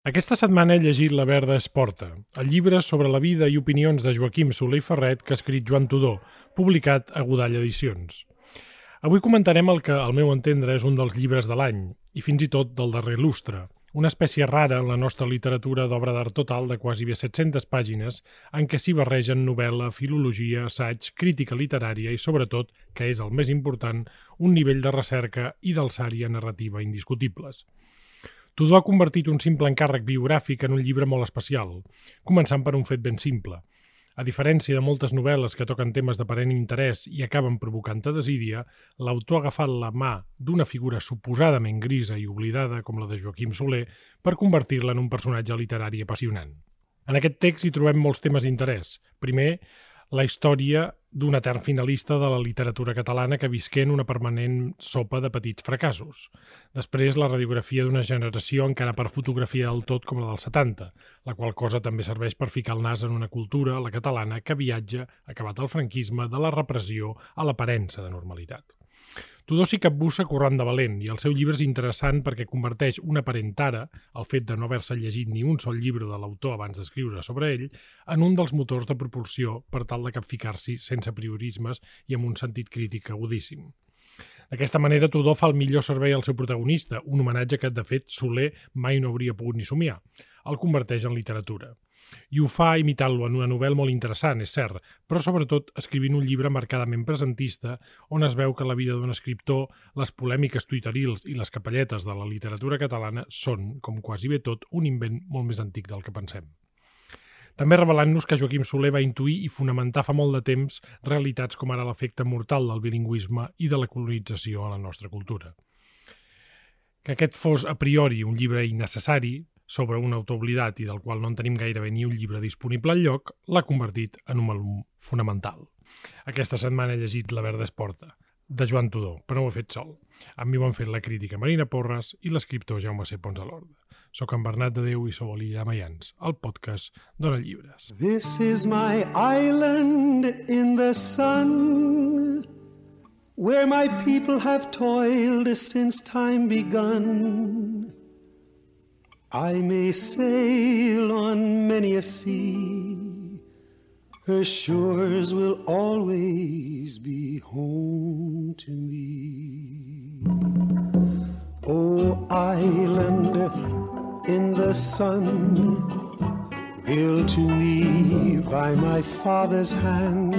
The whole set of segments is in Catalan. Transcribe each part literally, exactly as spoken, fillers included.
Aquesta setmana he llegit La Verda es porta, el llibre sobre la vida i opinions de Joaquim Soler i Ferret que ha escrit Joan Tudó, publicat a Godall Edicions. Avui comentarem el que, al meu entendre, és un dels llibres de l'any, i fins i tot del darrer lustre, una espècie rara en la nostra literatura d'obra d'art total de quasi bé set-centes pàgines en què s'hi barregen novel·la, filologia, assaig, crítica literària i, sobretot, que és el més important, un nivell de recerca i d'alçària narrativa indiscutibles. Tudó ha convertit un simple encàrrec biogràfic en un llibre molt especial, començant per un fet ben simple. A diferència de moltes novel·les que toquen temes d'aparent interès i acaben provocant-te desídia, l'autor ha agafat la mà d'una figura suposadament grisa i oblidada com la de Joaquim Soler per convertir-la en un personatge literari apassionant. En aquest text hi trobem molts temes d'interès. Primer, la història d'un etern finalista de la literatura catalana que visqué en una permanent sopa de petits fracassos. Després, la radiografia d'una generació encara per fotografia del tot com la dels setanta, la qual cosa també serveix per ficar el nas en una cultura, la catalana, que viatja, acabat el franquisme, de la repressió a l'aparença de normalitat. Tudó s'hi capbussa corrent de valent i el seu llibre és interessant perquè converteix una aparent tara, el fet de no haver-se llegit ni un sol llibre de l'autor abans d'escriure sobre ell, en un dels motors de propulsió per tal de capficar-s'hi sense priorismes i amb un sentit crític agudíssim. D'aquesta manera, Tudó fa el millor servei al seu protagonista, un homenatge que, de fet, Soler mai no hauria pogut ni somiar. El converteix en literatura. I ho fa imitant-lo en una novel·la molt interessant, és cert, però sobretot escrivint un llibre marcadament presentista on es veu que la vida d'un escriptor, les polèmiques tuitarils i les capelletes de la literatura catalana són, com quasi bé tot, un invent molt més antic del que pensem. També revelant-nos que Joaquim Soler va intuir i fonamentar fa molt de temps realitats com ara l'efecte mortal del bilingüisme i de la colonització a la nostra cultura. Que aquest fos a priori un llibre innecessari, sobre un autor oblidat i del qual no en tenim gairebé ni un llibre disponible enlloc, l'ha convertit en un volum fonamental. Aquesta setmana he llegit La Verda es porta, de Joan Tudó, però no ho he fet sol. Amb mi ho han fet la crítica Marina Porres i l'escriptor Jaume C. Pons a l'Orde. Soc en Bernat de Déu i sou a l'Illa Maians, el podcast Dona Llibres. This is my island in the sun, where my people have toiled since time begun. I may sail on many a sea, her shores will always be home to me. Oh, island in the sun, built to me by my father's hand,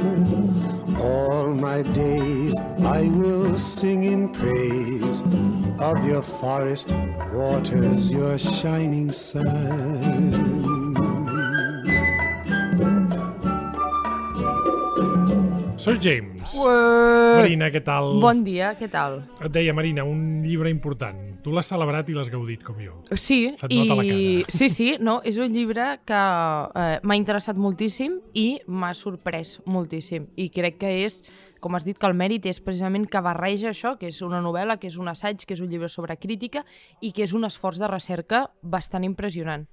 all my days I will sing in praise of your forest waters, your shining sun. Soy James. Ué! Marina, què tal? Bon dia, què tal? Et deia, Marina, un llibre important. Tu l'has celebrat i l'has gaudit com jo. Sí, Se't nota la i... cara. sí, sí, no, és un llibre que eh, m'ha interessat moltíssim i m'ha sorprès moltíssim. I crec que és, com has dit, que el mèrit és precisament que barreja això, que és una novel·la, que és un assaig, que és un llibre sobre crítica i que és un esforç de recerca bastant impressionant.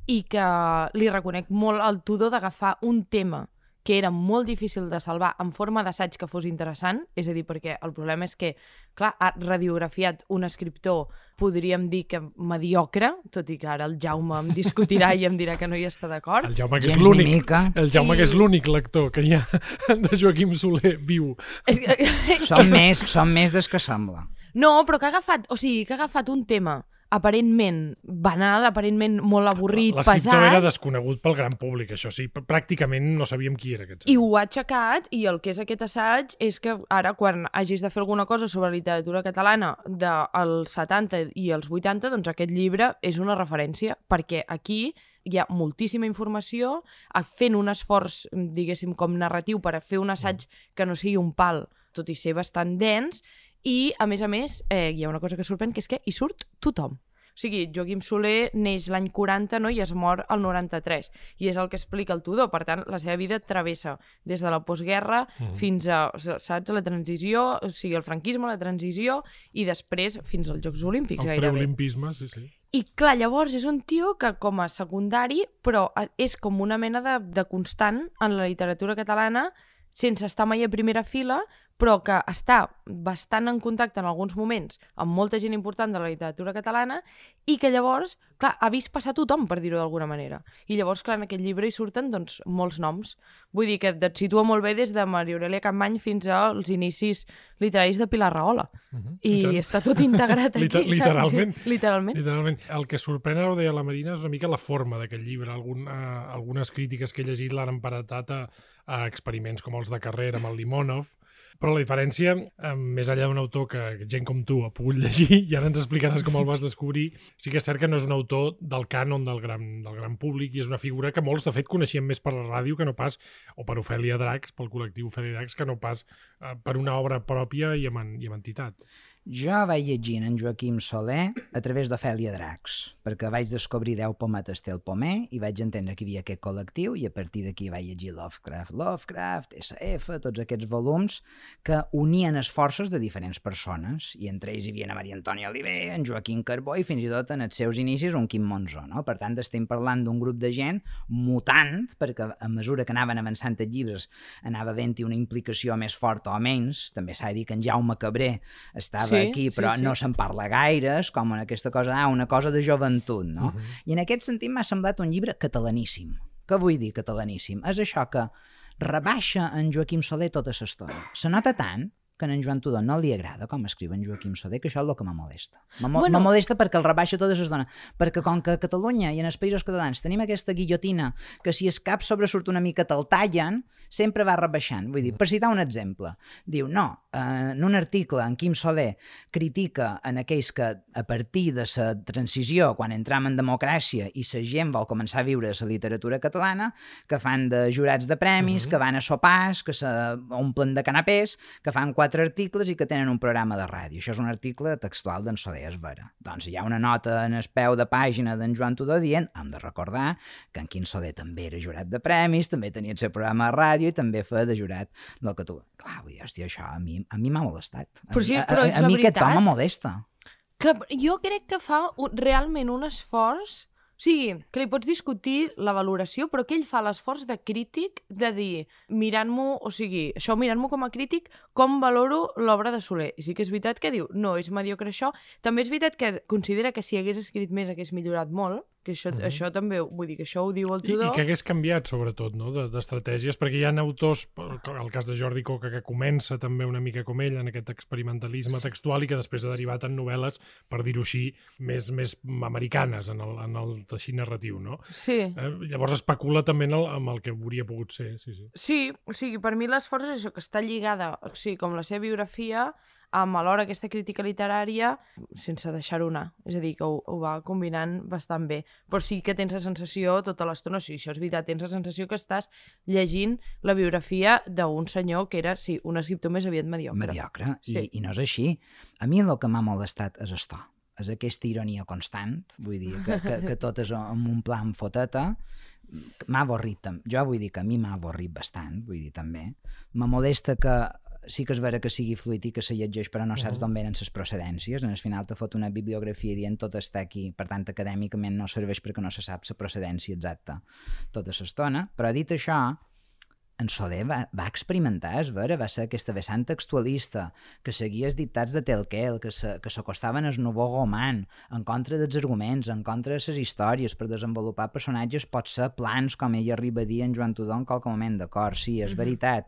I que li reconec molt al Tudó d'agafar un tema que era molt difícil de salvar en forma d'assaig que fos interessant, és a dir, perquè el problema és que, clar, ha radiografiat un escriptor, podríem dir que mediocre, tot i que ara el Jaume em discutirà i em dirà que no hi està d'acord. El Jaume, que és Gens ni l'únic, mica. el Jaume, I- que és l'únic lector que hi ha de Joaquim Soler viu. Som més, som més des que sembla. No, però que ha agafat, o sigui, que ha agafat un tema aparentment banal, aparentment molt avorrit, L'escriptor pesat, era desconegut pel gran públic, això sí. Pràcticament no sabíem qui era aquest i senyor. ho ha aixecat, i el que és aquest assaig és que ara, quan hagis de fer alguna cosa sobre literatura catalana dels setanta i els vuitanta, doncs aquest llibre és una referència, perquè aquí hi ha moltíssima informació, fent un esforç, diguéssim, com narratiu per a fer un assaig que no sigui un pal, tot i ser bastant dens, i, a més a més, eh, hi ha una cosa que sorprèn, que és que hi surt tothom. O sigui, Joaquim Soler neix l'any quaranta, no?, i es mor el noranta-tres, i és el que explica el Tudó. Per tant, la seva vida travessa des de la postguerra mm. fins a, saps, la transició, o sigui, el franquisme, la transició, i després fins als Jocs Olímpics, El gairebé. preolimpisme, sí, sí. I clar, llavors és un tio que com a secundari, però és com una mena de, de constant en la literatura catalana, sense estar mai a primera fila, però que està bastant en contacte en alguns moments amb molta gent important de la literatura catalana i que llavors, clar, ha vist passar tothom, per dir-ho d'alguna manera. I llavors, clar, en aquest llibre hi surten doncs, molts noms. Vull dir que et situa molt bé des de Maria Aurèlia Capmany fins als inicis literaris de Pilar Rahola. Uh -huh. I, I està tot integrat aquí. Liter literalment. Sí, literalment. Literalment. El que sorprèn, ara ho deia la Marina, és una mica la forma d'aquest llibre. Algun, uh, algunes crítiques que he llegit l'han emparentat a, a experiments com els de Carrera amb el Limonov, però la diferència, eh, més enllà d'un autor que gent com tu ha pogut llegir, i ara ens explicaràs com el vas descobrir, sí que és cert que no és un autor del cànon del gran, del gran públic i és una figura que molts, de fet, coneixien més per la ràdio que no pas, o per Ofèlia Dracs, pel col·lectiu Ofèlia Dracs, que no pas eh, per una obra pròpia i amb, i amb entitat. Jo vaig llegint en Joaquim Soler a través d'Ofèlia Dracs, perquè vaig descobrir deu pometes té el pomer i vaig entendre que hi havia aquest col·lectiu i a partir d'aquí vaig llegir Lovecraft, Lovecraft, essa efa, tots aquests volums que unien esforços de diferents persones i entre ells hi havia en Maria Antònia Oliver, en Joaquim Carbó i fins i tot en els seus inicis un Quim Monzó, no? Per tant, estem parlant d'un grup de gent mutant, perquè a mesura que anaven avançant els llibres anava havent-hi una implicació més forta o menys. També s'ha de dir que en Jaume Cabré estava sí, aquí, però sí, sí. no se'n parla gaire, és com en aquesta cosa, ah, una cosa de joventut, no? Uh-huh. I en aquest sentit m'ha semblat un llibre catalaníssim. Què vull dir catalaníssim? És això que rebaixa en Joaquim Soler tota l'estona. Se nota tant que a en Joan Tudó no li agrada com escriu en Joaquim Soler, que això és el que me molesta. Me bueno. molesta perquè el rebaixa tota l'estona. Perquè com que a Catalunya i en els països catalans tenim aquesta guillotina que si el cap sobresurt una mica te'l tallen, sempre va rebaixant. Vull dir, per citar un exemple, diu, no, eh, en un article en Quim Soler critica en aquells que a partir de la transició, quan entram en democràcia i la gent vol començar a viure la literatura catalana, que fan de jurats de premis, uh-huh. que van a sopars, que s'omplen de canapés, que fan quatre articles i que tenen un programa de ràdio. Això és un article textual d'en Soler, és vera. Doncs hi ha una nota en el peu de pàgina d'en Joan Tudó dient, hem de recordar que en Quim Soler també era jurat de premis, també tenia el seu programa de ràdio i també feia de jurat del que tu... Clar, vull dir, hòstia, això a mi a mi m'ha molestat. A, però sí, a, però a, és a la mi veritat. aquest home molesta. Clar, jo crec que fa un, realment un esforç. O sigui, que li pots discutir la valoració, però que ell fa l'esforç de crític de dir, mirant-m'ho, o sigui, això mirant-m'o com a crític, com valoro l'obra de Soler. I sí que és veritat que diu, no, és mediocre això. També és veritat que considera que si hagués escrit més hagués millorat molt, que això, uh-huh. això també, vull dir, que això ho diu el Tudó. I, i que hagués canviat, sobretot, no?, d'estratègies, perquè hi ha autors, el cas de Jordi Coca, que comença també una mica com ell, en aquest experimentalisme sí. textual, i que després ha derivat en novel·les, per dir-ho així, més, més americanes en el, en el teixit narratiu, no? Sí. Eh, llavors especula també en el, amb el que hauria pogut ser, sí, sí. Sí, o sigui, per mi l'esforç és això, que està lligada, o sigui, com la seva biografia, amb alhora aquesta crítica literària sense deixar-ho anar. És a dir, que ho, ho va combinant bastant bé. Però sí que tens la sensació tota l'estona, sí, això és veritat, tens la sensació que estàs llegint la biografia d'un senyor que era, sí, un escriptor més aviat mediocre. Mediocre, sí. I, i no és així. A mi el que m'ha molestat és esto, és aquesta ironia constant, vull dir, que, que, que tot és en un plan foteta, m'ha avorrit. Jo vull dir que a mi m'ha avorrit bastant, vull dir, també. Me molesta que sí que és vera que sigui fluid i que se llegeix, però no saps d'on venen les procedències. En el final te fot una bibliografia dient tot està aquí, per tant, acadèmicament no serveix perquè no se sap la procedència exacta tota l'estona. Però dit això, en Soler va, va experimentar, és vera, va ser aquesta vessant textualista, que seguia els dictats de Telquel, que s'acostaven al Nouveau Roman, en contra dels arguments, en contra de les històries, per desenvolupar personatges pot ser plans, com ell arriba a dir en Joan Tudó en qualque moment, d'acord, sí, és veritat,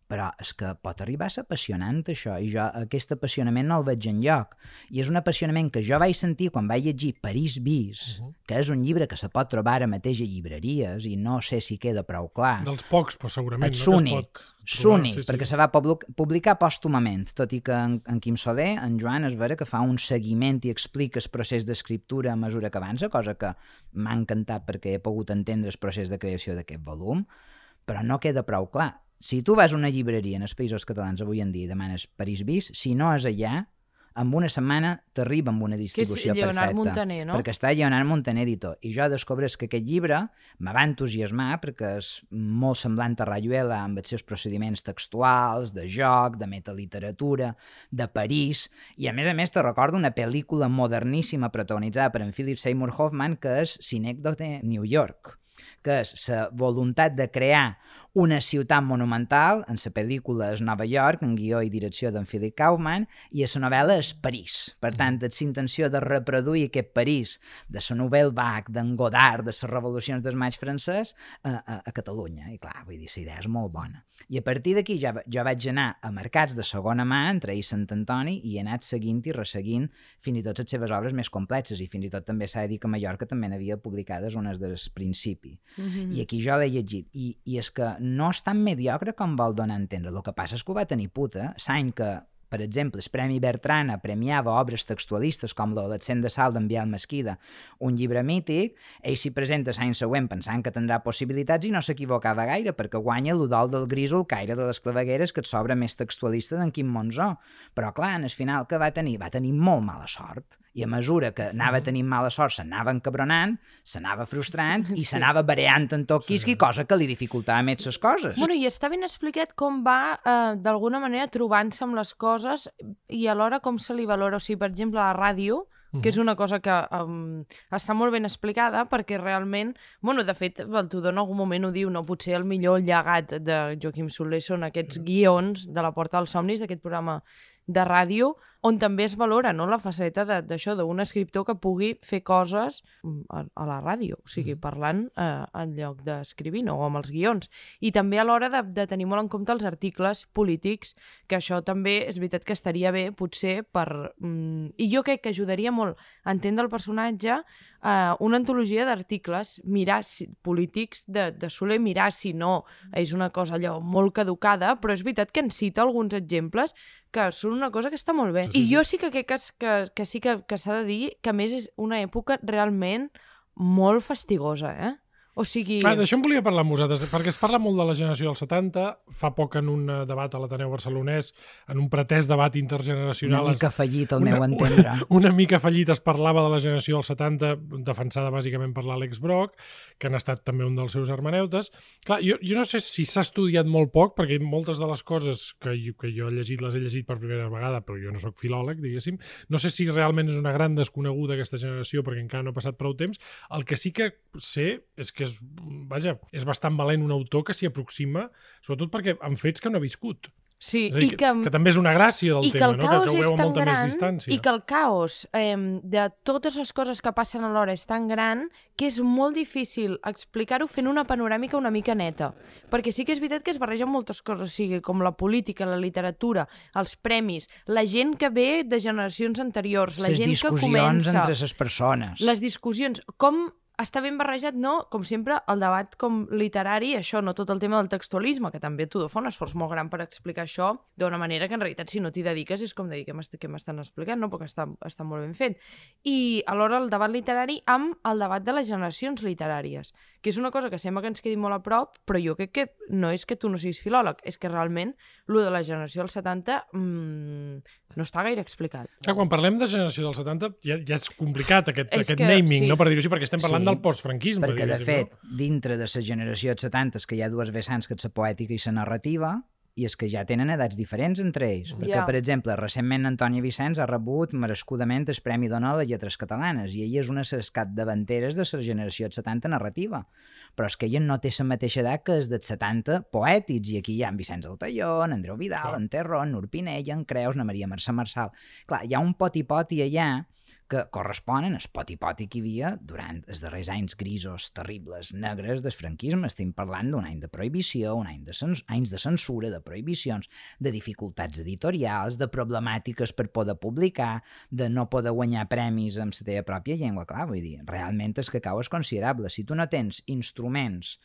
però és que pot arribar a ser apassionant això, i jo aquest apassionament no el veig enlloc, i és un apassionament que jo vaig sentir quan vaig llegir París bis, uh -huh. que és un llibre que se pot trobar ara mateix a llibreries i no sé si queda prou clar. Dels pocs, però segurament, és no? Únic, que es pot s'únic, sí, sí. perquè se va publicar pòstumament, tot i que en, en Quim Soler, en Joan, és vera que fa un seguiment i explica el procés d'escriptura a mesura que avança, cosa que m'ha encantat perquè he pogut entendre el procés de creació d'aquest volum, però no queda prou clar. Si tu vas a una llibreria en els països catalans avui en dia i demanes París bis, si no és allà, en una setmana t'arriba amb una distribució que és Lleonard perfecta. Montaner, no? Perquè està Lleonard Montaner editor. I jo descobreix que aquest llibre me va entusiasmar perquè és molt semblant a Rayuela amb els seus procediments textuals, de joc, de metaliteratura, de París, i a més a més te recordo una pel·lícula moderníssima protagonitzada per en Philip Seymour Hoffman que és Cinècdote New York, que és la voluntat de crear una ciutat monumental, en la pel·lícula és Nova York, en guió i direcció d'en Philip Kaufman, i a la novel·la és París. Per tant, és la intenció de reproduir aquest París de la Nouvelle Vague, d'en Godard, de les revolucions del maig francès, a, a, a Catalunya. I clar, vull dir, la idea és molt bona. I a partir d'aquí jo, jo vaig anar a mercats de segona mà, entre ells Sant Antoni, i he anat seguint i resseguint fins i tot les seves obres més complexes, i fins i tot també s'ha de dir que a Mallorca també n'havia publicades unes del principi. Mm-hmm. I aquí jo l'he llegit. I, I és que no és tan mediocre com vol donar a entendre. El que passa és que ho va tenir puta. L'any que, per exemple, el Premi Bertrana premiava obres textualistes com l'Adolescent de Salt d'en Biel Mesquida, un llibre mític, ell s'hi presenta l'any següent pensant que tindrà possibilitats i no s'equivocava gaire, perquè guanya l'Udol del Grísol, Caire de les Clavegueres, que et sobra més textualista d'en Quim Monzó. Però clar, en el final que va tenir? Va tenir molt mala sort. I a mesura que anava tenint mala sort, s'anava encabronant, s'anava frustrant i Sí. s'anava bareant en tot quisqui, sí. Cosa que li dificultava més les coses. Bueno, i està ben explicat com va, eh, d'alguna manera, trobant-se amb les coses i alhora com se li valora. O sigui, per exemple, la ràdio, que és una cosa que um, està molt ben explicada perquè realment, bueno, de fet, el Tudor en algun moment ho diu, no? Potser el millor llegat de Joaquim Soler són aquests guions de La Porta dels Somnis, d'aquest programa de ràdio, on també es valora, no?, la faceta d'això, d'un escriptor que pugui fer coses a, a la ràdio, o sigui, parlant eh, en lloc d'escrivir, no?, o amb els guions. I també a l'hora de, de tenir molt en compte els articles polítics, que això també és veritat que estaria bé, potser, per... Mm, i jo crec que ajudaria molt a entendre el personatge, eh, una antologia d'articles, mirar si, polítics de, de Soler, mirar si no és una cosa allò molt caducada, però és veritat que en cita alguns exemples que són una cosa que està molt bé. Sí, sí, I jo sí que crec que, que, que sí que, que s'ha de dir que, a més, és una època realment molt fastigosa, eh? O sigui... Ah, d'això en volia parlar amb vosaltres, perquè es parla molt de la generació dels setanta, fa poc en un debat a l'Ateneu Barcelonès, en un pretès debat intergeneracional... Una mica fallit, al una, meu entendre. Una, una mica fallit, es parlava de la generació dels setanta, defensada bàsicament per l'Àlex Brock, que han estat també un dels seus hermeneutes. Clar, jo, jo no sé si s'ha estudiat molt poc, perquè moltes de les coses que jo, que jo he llegit, les he llegit per primera vegada, però jo no sóc filòleg, diguéssim. No sé si realment és una gran desconeguda aquesta generació, perquè encara no ha passat prou temps. El que sí que sé és que és, vaja, és bastant valent un autor que s'hi aproxima, sobretot perquè han fets que no ha viscut. Sí, És a dir, i que, que, que també és una gràcia del i que tema, el no? caos que, que ho és veu amb tan molta gran, més distància. i que el caos eh, de totes les coses que passen alhora és tan gran que és molt difícil explicar-ho fent una panoràmica una mica neta. Perquè sí que és veritat que es barregen moltes coses, o sigui, com la política, la literatura, els premis, la gent que ve de generacions anteriors, la Les gent que comença... discussions entre les persones. Les discussions, com està ben barrejat, no? Com sempre, el debat com literari, això, no tot el tema del textualisme, que també Tudor fa un esforç molt gran per explicar això d'una manera que en realitat si no t'hi dediques és com de dir què m'estan explicant, no? Perquè està, està molt ben fet. I alhora el debat literari amb el debat de les generacions literàries, que és una cosa que sembla que ens quedi molt a prop, però jo crec que no és que tu no siguis filòleg, és que realment lo de la generació dels setanta mmm, no està gaire explicat. Clar, quan parlem de generació dels setanta ja, ja és complicat aquest, És aquest que, naming, sí. no? Per dir-ho així, perquè estem parlant Sí, del postfranquisme. Perquè, de fet, no? dintre de la generació dels setanta que hi ha dues vessants, que és la poètica i la narrativa, i és que ja tenen edats diferents entre ells. Perquè, Ja. per exemple, recentment Antònia Vicenç ha rebut merescudament el Premi Donald a Lletres Catalanes, i ella és una de les capdavanteres de la generació dels setanta narrativa. Però és que ella no té la mateixa edat que és dels setanta poètics, i aquí hi ha en Vicenç Altaió, en Andreu Vidal, Clar. en Terró, en Nur Pinella, en Creus, en Maria Mercè Marçal. Clar, hi ha un poti-poti allà que corresponen al poti-poti que hi havia durant els darrers anys grisos, terribles, negres del franquisme. Estem parlant d'un any de prohibició, un any de cens anys de censura, de prohibicions, de dificultats editorials, de problemàtiques per poder publicar, de no poder guanyar premis amb la teva pròpia llengua. Clar, vull dir, realment el cacau és considerable. Si tu no tens instruments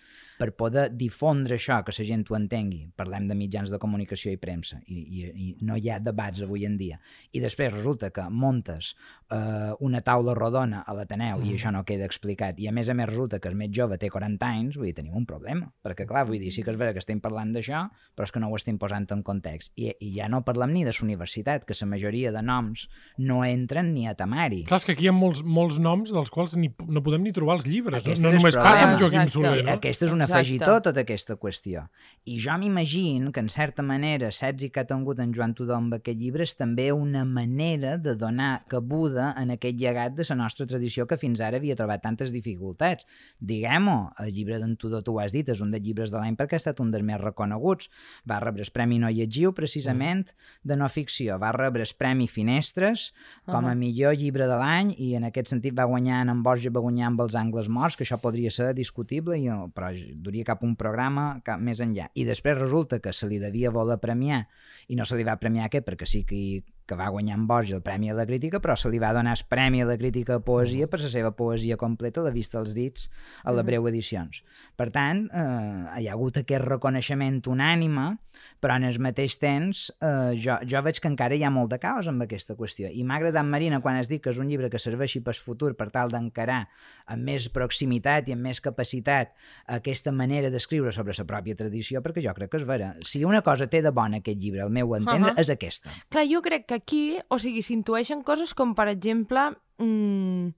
per poder difondre això, que la gent ho entengui, parlem de mitjans de comunicació i premsa, i, i, i no hi ha debats avui en dia, i després resulta que montes eh, una taula rodona a l'Ateneu mm. i això no queda explicat, i a més a més resulta que el més jove té quaranta anys, vull dir, tenim un problema, perquè clar, vull dir, sí que és vera que estem parlant d'això, però és que no ho estem posant en context, i, i ja no parlem ni de la universitat, que la majoria de noms no entren ni a temari. Clar, és que aquí hi ha molts, molts noms dels quals ni, no podem ni trobar els llibres. Aquest No és només el passa amb problema. Joaquim Exacte. Soler, no? Aquesta és un Exacte. afegitó, tota aquesta qüestió. I jo m'imagino que, en certa manera, l'èxit que ha tingut en Joan Tudor amb aquest llibre és també una manera de donar cabuda basada en aquest llegat de la nostra tradició que fins ara havia trobat tantes dificultats. Diguem-ho, el llibre d'en Tudor, tu ho has dit, és un dels llibres de l'any perquè ha estat un dels més reconeguts. Va rebre el Premi No Llegiu, precisament, de no ficció. Va rebre el Premi Finestres com a millor llibre de l'any i en aquest sentit va guanyar en Borja, va guanyar amb Els Angles Morts, que això podria ser discutible, i, però duria cap un programa cap més enllà. I després resulta que se li devia voler premiar i no se li va premiar aquest perquè sí que, que va guanyar en Borja el Premi a la Crítica, però se li va donar el Premi a la Crítica a Poesia per la seva poesia completa, La vista als dits, a la Breu Edicions. Per tant, eh, hi ha hagut aquest reconeixement unànime, però en el mateix temps eh, jo, jo veig que encara hi ha molt de caos amb aquesta qüestió. I m'ha agradat, Marina, quan has dit que és un llibre que serveixi pel futur per tal d'encarar amb més proximitat i amb més capacitat aquesta manera d'escriure sobre la pròpia tradició, perquè jo crec que és vera. Si una cosa té de bona aquest llibre, al meu entendre, uh -huh. és aquesta. Clar, jo crec que aquí, o sigui, s'intueixen coses com, per exemple, mmm,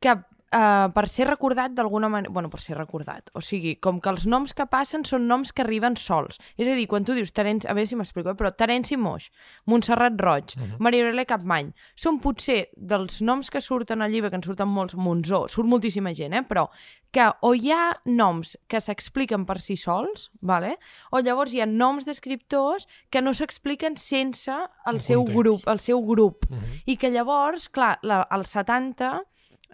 que uh, per ser recordat d'alguna manera... Bueno, per ser recordat. O sigui, com que els noms que passen són noms que arriben sols. És a dir, quan tu dius Terenci... A veure si m'explico, però Terenci Moix, Montserrat Roig, uh -huh. Maria Aurelia Capmany, són potser dels noms que surten al llibre, que en surten molts, Monzó, surt moltíssima gent, eh? Però que o hi ha noms que s'expliquen per si sols, vale? O llavors hi ha noms d'escriptors que no s'expliquen sense el, el seu context. grup, el seu grup. Uh -huh. I que llavors, clar, la, als setanta...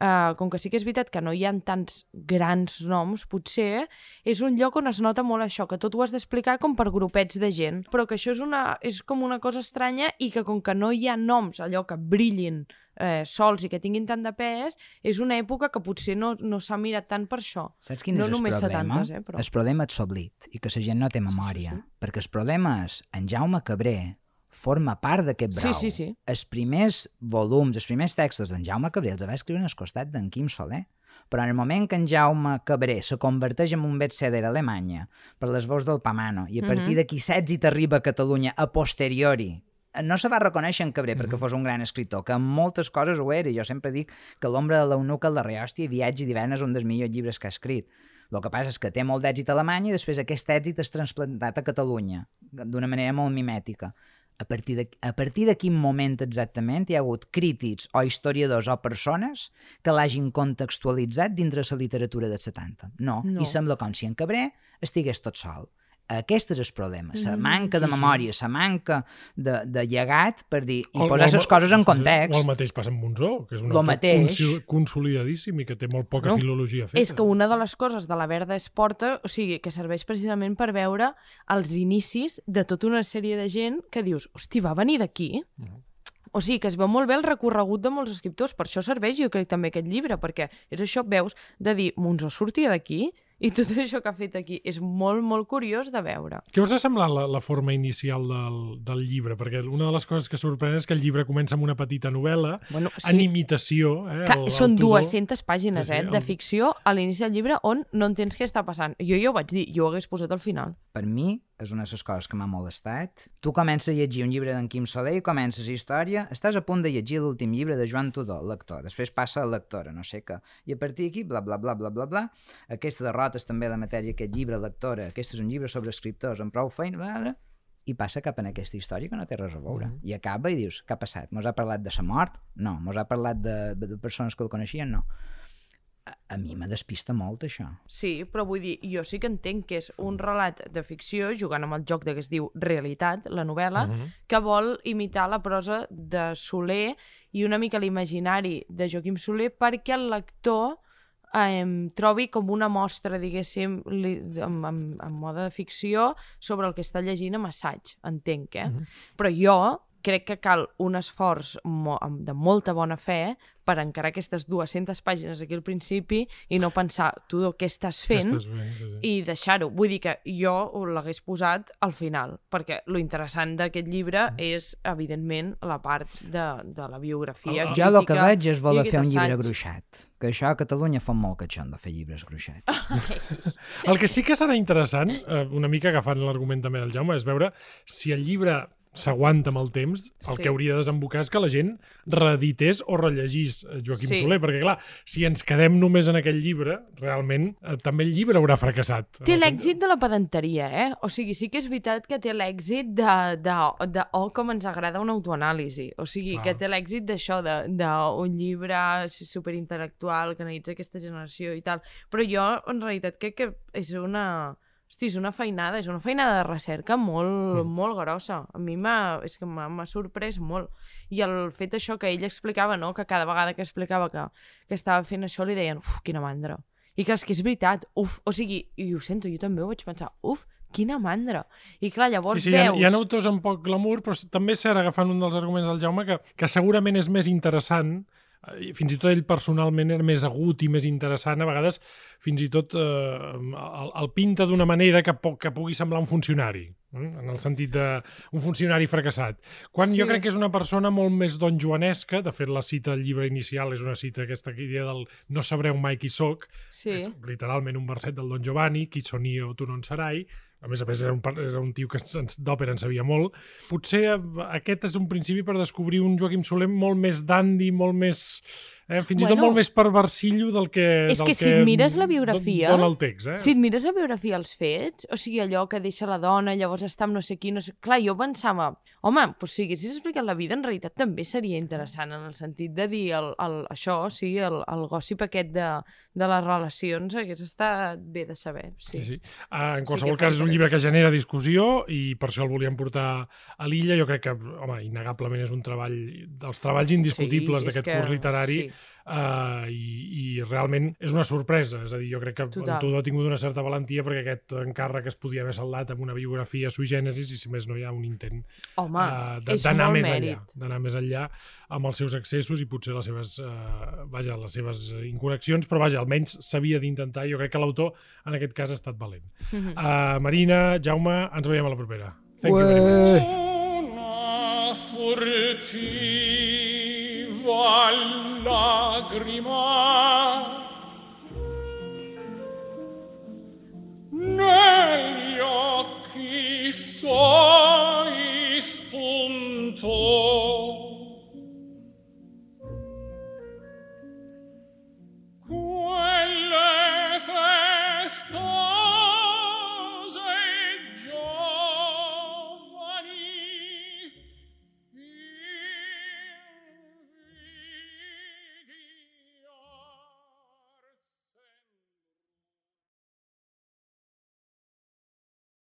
Uh, com que sí que és veritat que no hi ha tants grans noms, potser és un lloc on es nota molt això, que tot ho has d'explicar com per grupets de gent, però que això és, una, és com una cosa estranya i que com que no hi ha noms, allò que brillin eh, sols i que tinguin tant de pes, és una època que potser no, no s'ha mirat tant per això. Saps quin no és el només problema? setantes, eh, però... El problema és l'oblit i que la gent no té memòria, sí, sí. perquè el problema és en Jaume Cabré forma part d'aquest brau. Sí, sí, sí. Els primers volums, els primers textos d'en Jaume Cabré els va escriure al costat d'en Quim Soler. Però en el moment que en Jaume Cabré se converteix en un bestseller a Alemanya per les veus del Pamano i a partir d'aquí Sèxit arriba a Catalunya a posteriori, no se va reconèixer en Cabré perquè fos un gran escriptor, que en moltes coses ho era. Jo sempre dic que L'ombra de l'eunuc, el darrer hòstia i Viatge d'hivern és un dels millors llibres que ha escrit. El que passa és que té molt d'èxit a Alemanya i després aquest èxit és transplantat a Catalunya d'una manera molt mimètica. A partir, de, a partir de quin moment exactament hi ha hagut crítics o historiadors o persones que l'hagin contextualitzat dintre la literatura dels setanta? No. no. I sembla com si en Cabré estigués tot sol. Aquest és el problema, la manca de memòria, la manca de, de llegat per dir, i posar les coses en context. O el mateix passa amb Monzó, que és un autor consolidadíssim i que té molt poca no, filologia feta. És que una de les coses de la Verda es porta, o sigui, que serveix precisament per veure els inicis de tota una sèrie de gent que dius, hosti, va venir d'aquí? Uh -huh. O sigui, que es veu molt bé el recorregut de molts escriptors, per això serveix, jo crec, també aquest llibre, perquè és això, veus, de dir, Monzó sortia d'aquí? I tot això que ha fet aquí és molt, molt curiós de veure. Què us ha semblat la, la forma inicial del, del llibre? Perquè una de les coses que sorprèn és que el llibre comença amb una petita novel·la, bueno, sí. en imitació. Eh, que el, són el dues-centes pàgines sí, sí, eh, de el... ficció a l'inici del llibre on no entens què està passant. Jo ja ho vaig dir, jo ho hagués posat al final. Per mi és una de les coses que m'ha molestat. Tu comences a llegir un llibre d'en Quim Soler i comences història, estàs a punt de llegir l'últim llibre de Joan Tudor, lector, després passa a lectora, no sé què, i a partir d'aquí, bla, bla, bla, bla, bla, bla, aquesta derrota és també la matèria, aquest llibre, lectora, aquest és un llibre sobre escriptors amb prou feina, bla, bla, i passa cap en aquesta història que no té res a veure. Mm -hmm. I acaba i dius, què ha passat? Mos ha parlat de sa mort? No. Mos ha parlat de, de persones que el coneixien? No. A, a mi me despista molt, això. Sí, però vull dir, jo sí que entenc que és un relat de ficció, jugant amb el joc de que es diu realitat, la novel·la, uh-huh. que vol imitar la prosa de Soler i una mica l'imaginari de Joaquim Soler perquè el lector eh, trobi com una mostra, diguéssim, li, en, en, en mode de ficció sobre el que està llegint amb assaig, entenc, eh? Uh-huh. Però jo crec que cal un esforç mo de molta bona fe per encarar aquestes dues-centes pàgines aquí al principi i no pensar, tu, què estàs fent? Estàs bé, sí, sí. I deixar-ho. Vull dir que jo l'hagués posat al final, perquè lo interessant d'aquest llibre mm. és, evidentment, la part de, de la biografia. Ah, jo el que veig és voler fer un llibre gruixat, que això a Catalunya fa molt que això de fer llibres gruixats. El que sí que serà interessant, una mica agafant l'argument també del Jaume, és veure si el llibre s'aguanta amb el temps, el Sí. que hauria de desembocar és que la gent reedités o rellegís Joaquim Sí. Soler, perquè clar, si ens quedem només en aquell llibre, realment eh, també el llibre haurà fracassat. Té En el l'èxit de la pedanteria, eh? O sigui, sí que és veritat que té l'èxit de, de, de oh, com ens agrada una autoanàlisi. O sigui, Clar. que té l'èxit d'això, d'un llibre superintel·lectual que analitza aquesta generació i tal. Però jo, en realitat, crec que és una... Hosti, és una feinada, és una feinada de recerca molt, mm. molt grossa. A mi m'ha, és que m'ha m'ha sorprès molt. I el fet això que ell explicava, no?, que cada vegada que explicava que, que estava fent això li deien, uf, quina mandra. I que és que és veritat, uf, o sigui, i ho sento, jo també ho vaig pensar, uf, quina mandra. I clar, llavors sí, sí, veus... Hi ha, hi ha autors amb poc glamour, però també és cert, agafant un dels arguments del Jaume, que, que segurament és més interessant, eh, fins i tot ell personalment era més agut i més interessant, a vegades fins i tot eh, el, el pinta d'una manera que, po que pugui semblar un funcionari, eh? En el sentit d'un funcionari fracassat. Quan Sí. jo crec que és una persona molt més don Joanesca, de fet la cita del llibre inicial és una cita, aquesta idea del no sabreu mai qui soc, Sí. és literalment un verset del Don Giovanni, qui son io, tu non sarai. A més a més, era un, era un tio que d'òpera en sabia molt. Potser aquest és un principi per descobrir un Joaquim Soler molt més dandy, molt més... Eh, fins bueno, i tot molt més perversillo del que... És del que si et mires la biografia... Dona el text, eh? Si et mires la biografia als fets, o sigui, allò que deixa la dona, llavors està amb no sé qui, no sé... Clar, jo pensava, home, pues, si haguessis explicat la vida, en realitat també seria interessant, en el sentit de dir el, el, això, sí, el, el gossip aquest de, de les relacions, hagués estat bé de saber, sí. Sí, sí. Uh, en Sí qualsevol que cas, és un fa llibre que genera discussió i per això el volíem portar a l'illa. Jo crec que, home, innegablement és un treball, dels treballs indiscutibles Sí, és d'aquest que- curs literari. sí. Uh, i, i realment és una sorpresa, és a dir, jo crec que Total. en Tudor ha tingut una certa valentia perquè aquest encàrrec es podia haver saldat amb una biografia sui generis i si més no hi ha un intent Home, uh, és d'anar molt més mèrit. enllà d'anar més enllà amb els seus excessos i potser les seves uh, vaja, les seves inconnexions, però vaja, almenys s'havia d'intentar i jo crec que l'autor en aquest cas ha estat valent. Mhm. uh, Marina, Jaume, ens veiem a la propera. Thank you very much. Una furtiva lagrima